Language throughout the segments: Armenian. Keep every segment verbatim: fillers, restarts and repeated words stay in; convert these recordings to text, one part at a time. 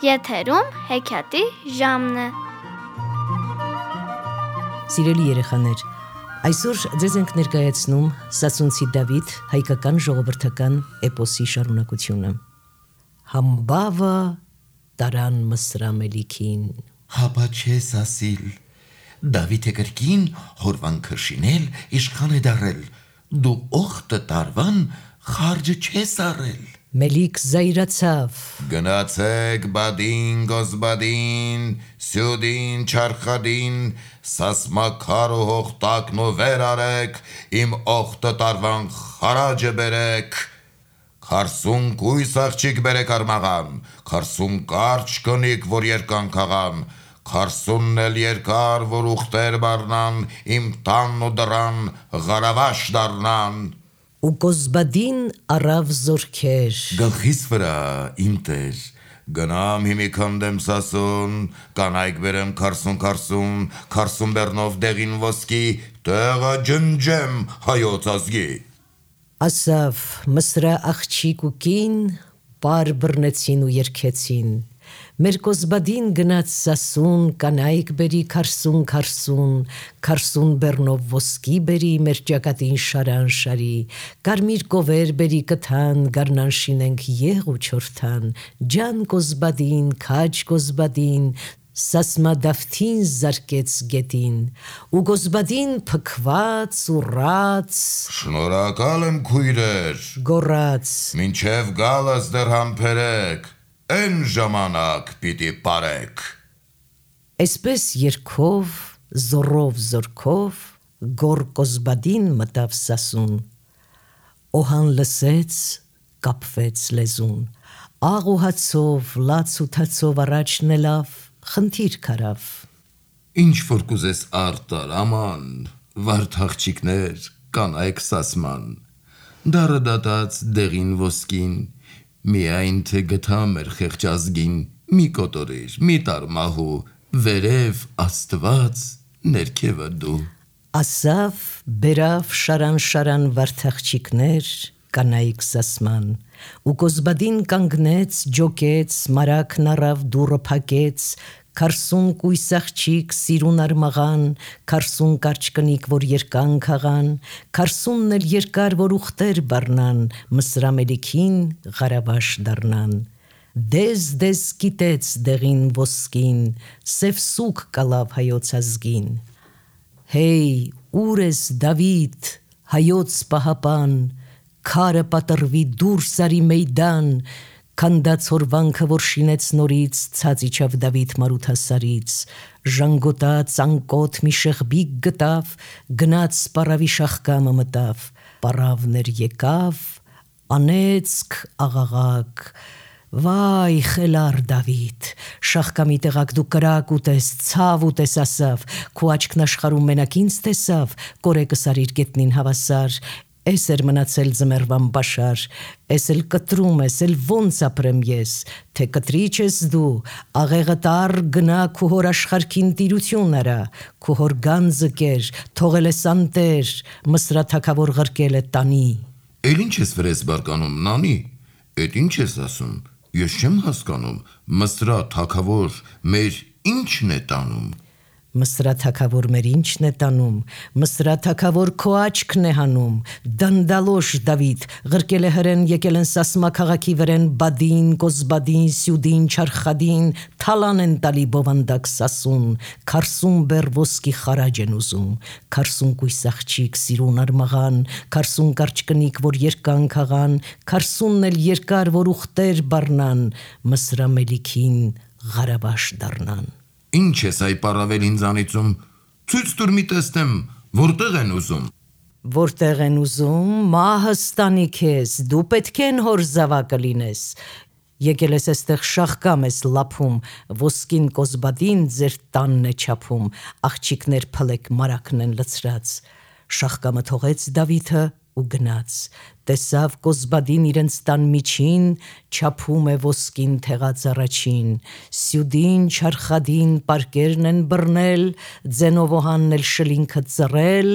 Եթերում հեքիաթի ժամն է։ Սիրելի երեխաներ, այսօր ձեզ ենք ներկայացնում Սասունցի Դավիթ հայկական ժողովրդական էպոսի շարունակությունը։ Համբավը տարան Մսրամելիքին։ Հապա չես ասիլ, Դավիթը կրկին հորվան քրշինել իշխան է դարել, դու օխտը տարվան խարջը չես առել։ Մելիք զայրացավ. Գնացեք բադին գոզբադին, սյուդին չարխադին, սասմաքար ու հողտակն ու վեր արեք, իմ օխտը տարվան խարաջը բերեք։ Քարսուն կույս աղջիկ բերեք արմաղան, քարսուն կարճ կնիկ, որ երկան քաղան, քարսունն էլ երկար, որ ուխտեր բարնան, իմ տան ու դրան ғարավաշ դարնան։ Ու գոզբադին առավ զորքեր։ Գլխիս վրա, իմ տեր, գնամ հիմի քանդեմ Սասուն, կանայք բերեմ քարսուն քարսուն, քարսուն բեռնով դեղին ոսկի, տեղը ջնջեմ հայոց ազգի։ Ասավ Մսրա աղջիկ ու կին, պար բռնեցին ու երգեցին։ Մեր գոզբադին գնաց Սասուն, կանայք բերի քարսուն քարսուն, քարսուն բեռնով ոսկի բերի, մեր ճակատին շարան շարի, կարմիր կովեր բերի կթան, գարնան շինենք եղ ու չորթան, ջան գոզբադին, քաջ գոզբադին, Սասմա դավթին զարկեց գետին, ու գոզբադին փքված ու ռաց, Շնորհակալ եմ քույրեր, գոռաց. մինչև գալս դեռ համբերեք, են ժամանակ պիտի պարեք։ Այսպես երգով, զորով զորքով, գոր գոզբադին մտավ Սասուն, օհան լսեց, կապվեց լեզուն, աղ ու հացով, լաց ու թացով առաջնելով, խնդիր քարավ. Ինչ որ կուզես արտար, աման, վարդ աղջիկներ, կանայք Սասման, դարը դատած դեղին ոսկին, միայն թե գթա մեր խեղճ ազգին, մի կոտորիր, մի տարմահու, վերև Աստված, ներքևը դու։ Ասավ, բերավ շարան շարան վարդաղջիկներ, կանայք Սասման, ու գոզբադին կանգնեց, ջոկեց, մարակն առավ դուռը փակեց, քարսուն կույս աղջիկ սիրուն արմաղան, քարսուն կարճ կնիկ, որ երկան քաղան, քարսունն էլ երկար, որ ուխտեր բառնան, Մսրամելիքին ғարավաշ դառնան։ Դեզ դեզ կիտեց դեղին ոսկին, սև սուգ կալավ հայոց ազգին։ Հեյ, ուր ես Դավիթ, հայոց պահապան, քարը պատռվի դուրս արի մեյդան, քանդած հորվանքը, որ շինեց նորից, ցած իջավ Դավիթ Մարութասարից, ժանգոտած անկոտ մի շեղբիկ գտավ, գնաց պարավի շախկամը մտավ, պարավներ եկավ, անեծք աղաղակ, վայ խելար Դավիթ, շախկամի տեղակ դու կրակ ուտես, ցավ ուտես ասավ, քո աչքն աշխարհում մենակ ինձ տեսավ, կորեկս արիր գետնին հավասար, Էս էր մնացել ձմեռվան բաշար, էս էլ կտրում ես, էլ ոնց ապրեմ ես, թե կտրիչ ես դու, աղեղը տար գնա քու հոր աշխարհքին տիրություն արա, քու հոր գանձը կեր, թողել ես անտեր, Մսրա թագավոր ղրկել է տանի։ Էլ ինչ ես վրես բարկանում, նանի, էդ ինչ ես ասում, ես չեմ հասկանում, Մսրա թագավոր մեր ինչն է տանում։ Մսրա թագավոր մեր ինչն է տանում, Մսրա թագավոր քո աչքն է հանում, դանդալոշ Դավիթ, ղրկել է հրեն, եկել են Սասմա քաղաքի վրեն, բադին, գոզբադին, սյուդին, չարխադին, թալան են տալի բովանդակ Սասուն, քարսուն բեռ ոսկի խարաջ են ուզում, քարսուն կույս աղջիկ սիրուն արմաղան, քարսուն կարճ կնիկ, որ երկան քաղան, քարսունն էլ երկար, որ ուխտեր բառնան, Մսրամելիքին ғարավաշ դառնան։ Ինչ ես այ պարավել ինձանիցում, ցույց տուր մի տեսնեմ, որտեղ են ուզում։ Որտեղ են ուզում, մահը ստանի քեզ, դու պետք են հոր զավակը լինես։ Եկել ես այստեղ շախկամ ես լափում, ոսկին գոզբադին ձեր տանն է չափում, աղջիկներ փլեք մարակն են լցրած։ Շախկամը թողեց Դավիթը ու գնաց, տեսավ գոզբադին իրենց տան միջին, չափում է ոսկին թեղած առաջին, սյուդին, չարխադին պարկերն են բռնել, ձենով օհանն էլ շլինքը ծռել,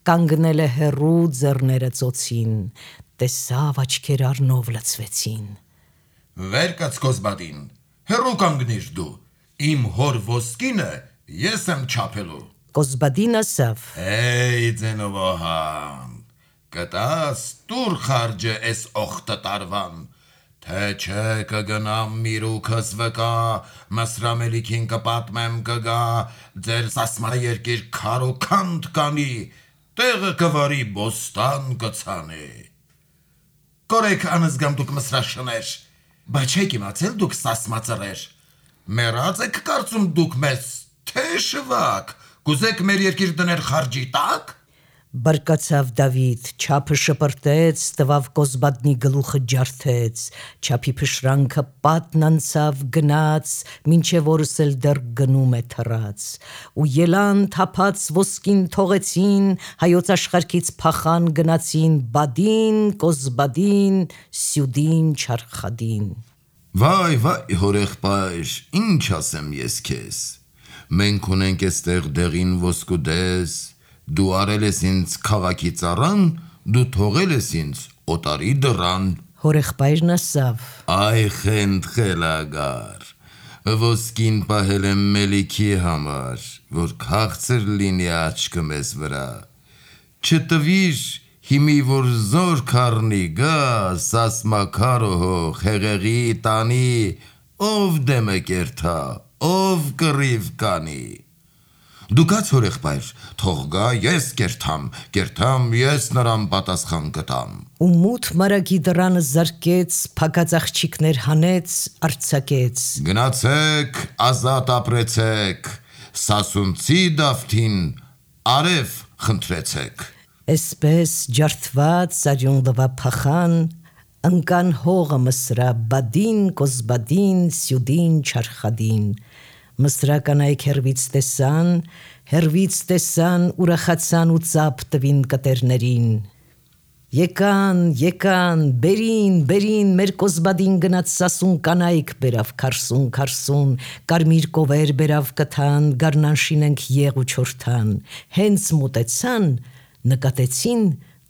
կանգնել է հեռու ձեռները ծոցին, տեսավ աչքեր առնով լցվեցին։ Վեր կաց գոզբադին, Հերո կանգնիր դու, իմ հոր ոսկինը ես եմ չափելու։ Կոզբադին ասավ. Էй ձենովահան, կտաս տուր խարջը էս օխտը տարվան, թե չէ կգնամ միրուքս վկա, մսրամելիքին կպատմեմ կգա, ձեր սասմա երկիր քար ու քանդ կանի, տեղը կվարի բոստան կցանի։ Կորեք անզգամ դուք մսրաշներ, բայց չեք իմացել դուք սասմածրեր, մեռած եք կարծում դուք մեզ, թե շվակ, կուզեք մեր երկիր դներ խարջի տակ։ Բարկացավ Դավիթ, չափը շպրտեց, տվավ Կոզբադնի գլուխը ջարդեց, չափի փշրանքը պատն անցավ գնաց, մինչև օրս էլ դեռ գնում է թռած, ու ելան թափած ոսկին թողեցին, հայոց աշխարհքից փախան գնացին Բադին, Կոզբադին, Սյուդին, Չարխադին։ Վայ, վայ, հորեղբայր, ինչ ասեմ ես քեզ, մենք ունենք էստեղ դեղին ոսկուդես, դու արել ես ինձ քաղաքի ծառան, դու թողել ես ինձ օտարի դռան։ Հորեղբայրն ասավ. Այ խենդ խելագար, ոսկին պահել եմ մելիքի համար, որ քաղցր լինի աչքը մեզ վրա, չտվիր հիմի որ զոր քառնի գա, սասմաքարոհող հեղեղի տանի, ով դեմը կերթա, ով կռիվ կանի։ Դու կաց հորեղբայր, թող գա ես կերթամ, կերթամ ես նրան պատասխան կտամ։ Ու մութ մարագի դռանը զարկեց, փակած աղջիկներ հանեց, արձակեց։ Գնացեք, ազատ ապրեցեք, սասունցի դավթին արև խնդրեցեք։ Էսպես ջարդված արյուն լվա փախան, ընկան հողը մսրա Բադին, Կոզբադին, Սյուդին, Չարխադին։ Մսրա կանայք հերվից տեսան, հերվից տեսան, ուրախացան ու ծափ տվին կտերներին։ Եկան, եկան, բերին, բերին, մեր Կոզբադին գնաց սասուն կանայք բերավ քարսուն, քարսուն, կարմիր կովեր բերավ կթան, գարնան շինենք եղ ու չորթան։ Հենց մոտեցան, նկատեցին,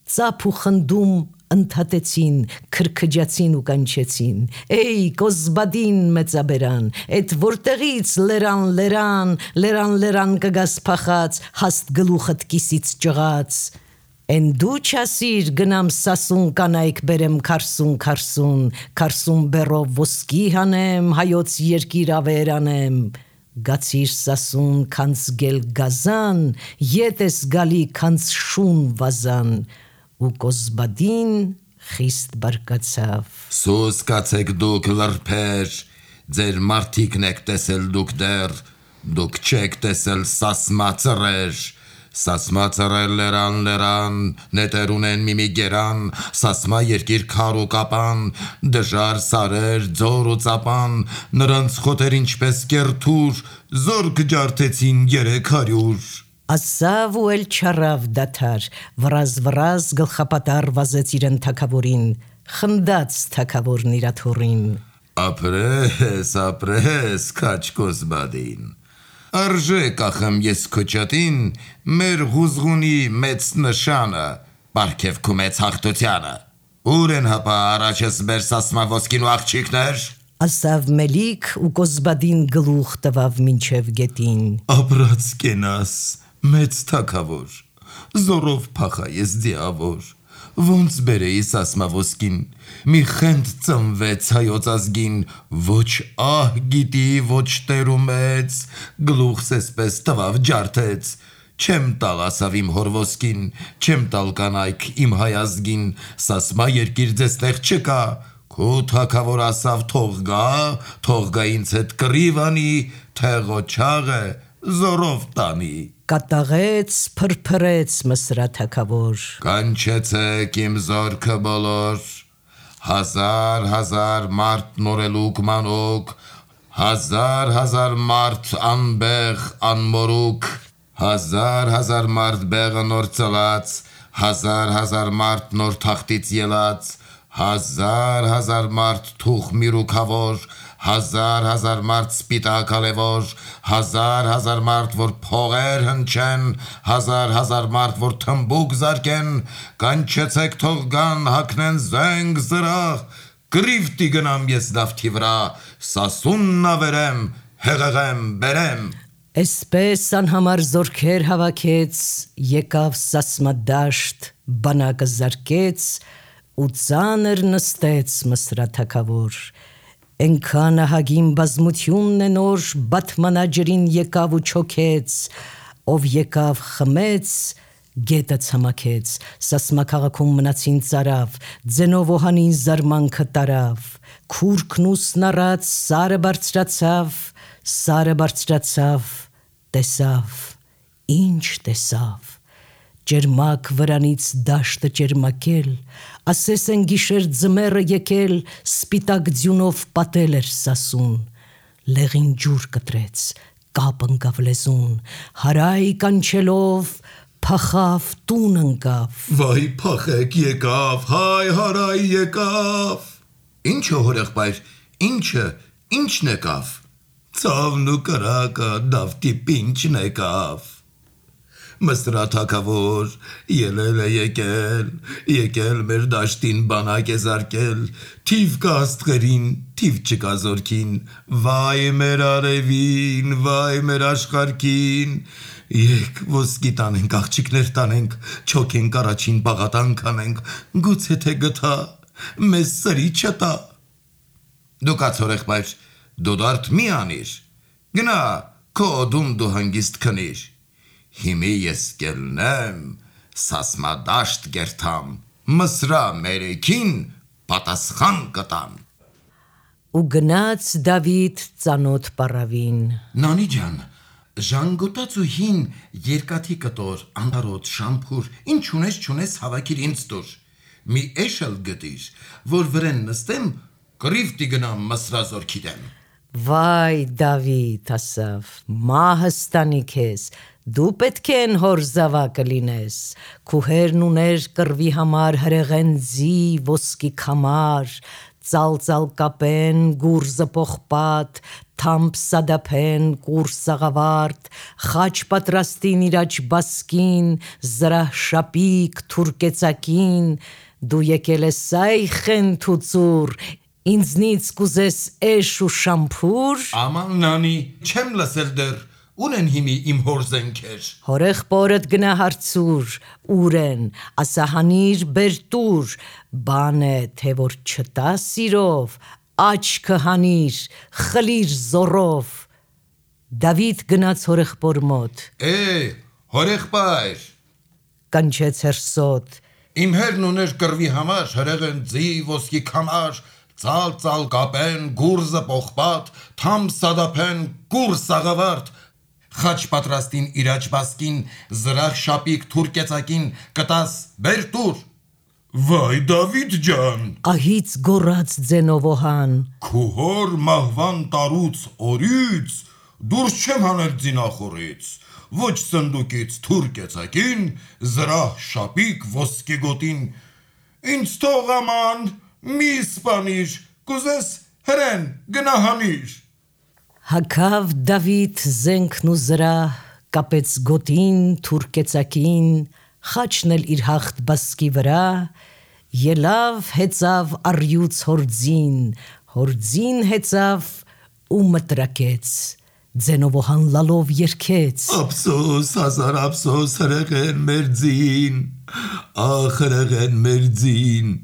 ծափ ու խնդում ընդհատեցին, քրքջացին ու կանչեցին. Էй, Կոզբադին մեծաբերան, էդ որտեղից լերան, լերան, լերան, լերան կգաս փախած, հաստ գլուխդ կիսից ճղած։ Էն դու չասիր գնամ սասուն կանայք բերեմ քարսուն, քարսուն, քարսուն բերով ոսկի հանեմ, հայոց երկիր ավեր անեմ։ Գացիր սասուն քանց գել գազան, ետ ես գալի քանց շուն վազան։ Ու Կոզբադին խիստ բարկացավ։ Սուս կացեք դուք լրբեր, ձեր մարդիկն եք տեսել դուք դեռ, դուք չեք տեսել սասմածրեր, սասմածրեր լերան լերան, նետեր ունեն միմի գերան, սասմա երկիր քար ու կապան, դժար սարեր, ձոր ու ծապան, նրանց խոտեր ինչպես կերթուր, զոր կջարդեցին երեք հարյուր։ Ասավ ու էլ չարավ դաթար, վրազ վրազ գլխապատար վազեց իրեն թակավորին, խնդաց թակավորն իրաթորին։ Ապրես, ապրես, քաչ Կոզբադին, արժե կախեմ ես քոչատին, մեր հուզղունի մեծ նշանը, պարգև քու մեծ հաղթությանը, ուր են հապա առաջս մեր սասմա ոսկին ու աղջիկներ։ Ասավ մելիք ու Կոզբադին գլուխ տվավ մինչև գետին։ Ապրած կենաս, մեծ թակավոր, զորով փախա ես դիավոր, ոնց բերեի սասմա ոսկին, մի խենդ ծնվեց հայոց ազգին, ոչ ահ գիտի, ոչ տեր ու մեծ, գլուխս էսպես տվավ ջարդեց, չեմ տալ ասավ իմ հոր ոսկին, չեմ տալ կանայք իմ հայ ազգին, սասմա երկիր ձեզ տեղ չկա, քու թակավոր ասավ թող գա, թող գա ինձ հետ կռիվ անի, թեղոչաղը զորով տանի։ Կատաղեց, փրփրեց մսրա թակավոր։ Կանչեցեք իմ զորքը բոլոր, հազար հազար մարդ նորելուկ մանուկ, հազար հազար մարդ անբեղ անմորուկ, հազար հազար մարդ բեղը նոր ծլած, հազար հազար մարդ նոր թախտից ելած, հազար հազար մարդ թուխ միրուքավոր, հազար հազար մարդ սպիտակ ալևոր, հազար հազար մարդ որ փողեր հնչեն, հազար հազար մարդ որ թմբուկ զարկեն, կանչեցեք թող գան հակնեն զենք զրահ, Կրիվտի գնամ ես դավթի վրա, սասունն ավերեմ, հեղեղեմ բերեմ։ Էսպես անհամար զորքեր հավաքեց, եկավ Սասմադաշտ, բանակը զարկեց, ու ծանր նստեց Մսրաթագավոր։ Էնքան ահագին բազմությունն է նոր, Բաթմանաջրին եկավ ու չոքեց, ով եկավ խմեց, գետը ցամաքեց, Սասմա քաղաքում մնացին ծարավ, ձենով օհանին զարմանքը տարավ, քուրքն ուսն առած սարը բարձրացավ, սարը բարձրացավ, տեսավ, ինչ տեսավ, ջերմակ վրանից դաշտը ջերմակել, ասես են գիշեր ձմեռը եկել, սպիտակ ձյունով պատել էր Սասուն, լեղին ջուր կտրեց, կապ ընկավ լեզուն, հարայ կանչելով, փախավ տուն ընկավ։ Վայ փախեք եկավ, հայ հարայ եկավ։ Ինչը հորեղբայր, ինչը, ինչն եկավ։ Ցավն ու կրակը դավթի պինչն եկավ։ Մսրաթագավոր ելել է եկել, եկել մեր դաշտին բանակ է զարկել, թիվ կա աստղերին, թիվ չկա զորքին, վայ մեր արևին, վայ մեր աշխարհքին, եկ ոսկի տանենք, աղջիկներ տանենք, չոքենք առաջին բաղատանք անենք, գուցե թե գթա, մեզ սրի չտա։ Դու կաց հորեղբայր, դու դարդ մի անիր, գնա, քո օդում դու հանգիստ քնիր, հիմի ես կելնեմ, Սասմադաշտ գերթամ, Մսրա մերեքին պատասխան կտամ։ Ու գնաց Դավիթ ծանոթ պառավին։ Նանի ջան, ժանգոտած ու հին երկաթի կտոր, անարոտ, շամփուր, ինչ ունես չունես հավաքիր ինձ տուր, մի էշել գտիր, որ վրեն նստեմ, կրիվտի գնամ Մսրա զորքի դեմ։ Վայ Դավիթ ասավ, մահս տանի քեզ, դու պետք է են հոր զավակը լինես, քուհերն ուներ կռվի համար հրեղեն ձի, ոսկի քամար, ծալծալ կապեն, գուրզը պողպատ, թամփ սադափեն, կուր սաղավարտ, խաչ պատրաստին իրաջ բասկին, զրահ շապիկ, թուրկեցակին, դու եկել ես այխեն թուծուր, ինձնից կուզես էշ ու շամփուր։ Աման նանի, չեմ լսել դեռ, ունեն հիմի իմ հոր զենքեր։ Հորեղբորդ գնա հարցուր, ուր են, ասա հանիր բեր տուր, բան է, թե որ չտա սիրով, աչքը հանիր, խլիր զորով։ Դավիթ գնաց հորեղբոր մոտ։ Է, հորեղբայր, կանչեց հերսոտ։ իմ հերն ուներ կռվի համար, հրեղեն ձի, ոսկի քամար, ծալ-ծալ կապեն, գուրզը պողպատ, թամփ սադափեն, կուր սաղավարտ, խաչ պատրաստին իրաջ բասկին, զրահ շապիկ թուրկեցակին, կտաս բեր տուր։ Վայ Դավիթ ջան, Ահից գոռաց ձենով օհան, քու հոր մահվան տարուց օրից դուրս չեմ հանել ձինախորից, ոչ սնդուկից թուրկեցակին, զրահ շապիկ ոսկի գոտին, ինձ թող աման, մի սպանիր, կուզես հրեն գնա հանիր։ հագավ Դավիթ զենքն ու զրահ, կապեց գոտին, թուրկեցակին, խաչն էլ իր հաղթ բասկի վրա, ելավ հեծավ առյուծ հորձին, հորձին հեծավ ու մտրակեց, ձենով օհան լալով երգեց. Ափսոս, հազար ափսոս, հրեղեն մեր ձին, ախ հրեղեն մեր ձին,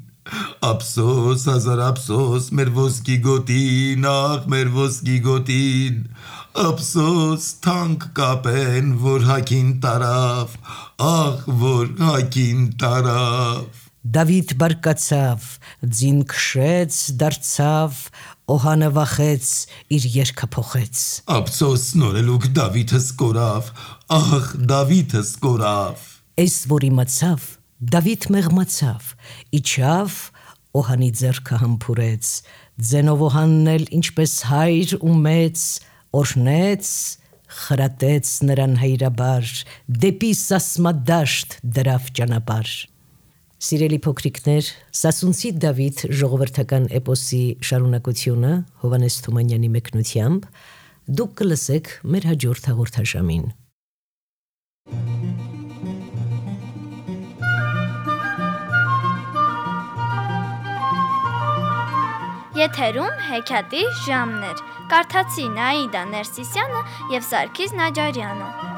ափսոս, հազար ափսոս, մեր ոսկի գոտին, ախ մեր ոսկի գոտին, ափսոս, թանկ կապեն, որ հագին տարավ, ախ որ հագին տարավ։ Դավիթ բարկացավ, ձին քշեց, դարձավ, օհանը վախեց, իր երգը փոխեց. Ափսոս նորելուկ Դավիթս կորավ, ախ Դավիթս կորավ։ Էս որ իմացավ, Դավիթ մեղմացավ, իջավ, օհանի ձեռքը համբուրեց, ձենով օհանն էլ ինչպես հայր ու մեծ, օրհնեց, խրատեց նրան հայրաբար, դեպի Սասմադաշտ դրավ ճանապարհ։ Սիրելի փոքրիկներ, Սասունցի Դավիթ ժողովրդական էպոսի շարունակությունը Հովհաննես Թումանյանի մեկնությամբ դուք կլսեք մեր հաջորդ հաղորդաշամին։ Եթերում հեքիաթի ժամն էր։ Կարդացին Աիդա Ներսիսյանը և Սարգիս Նաջարյանը։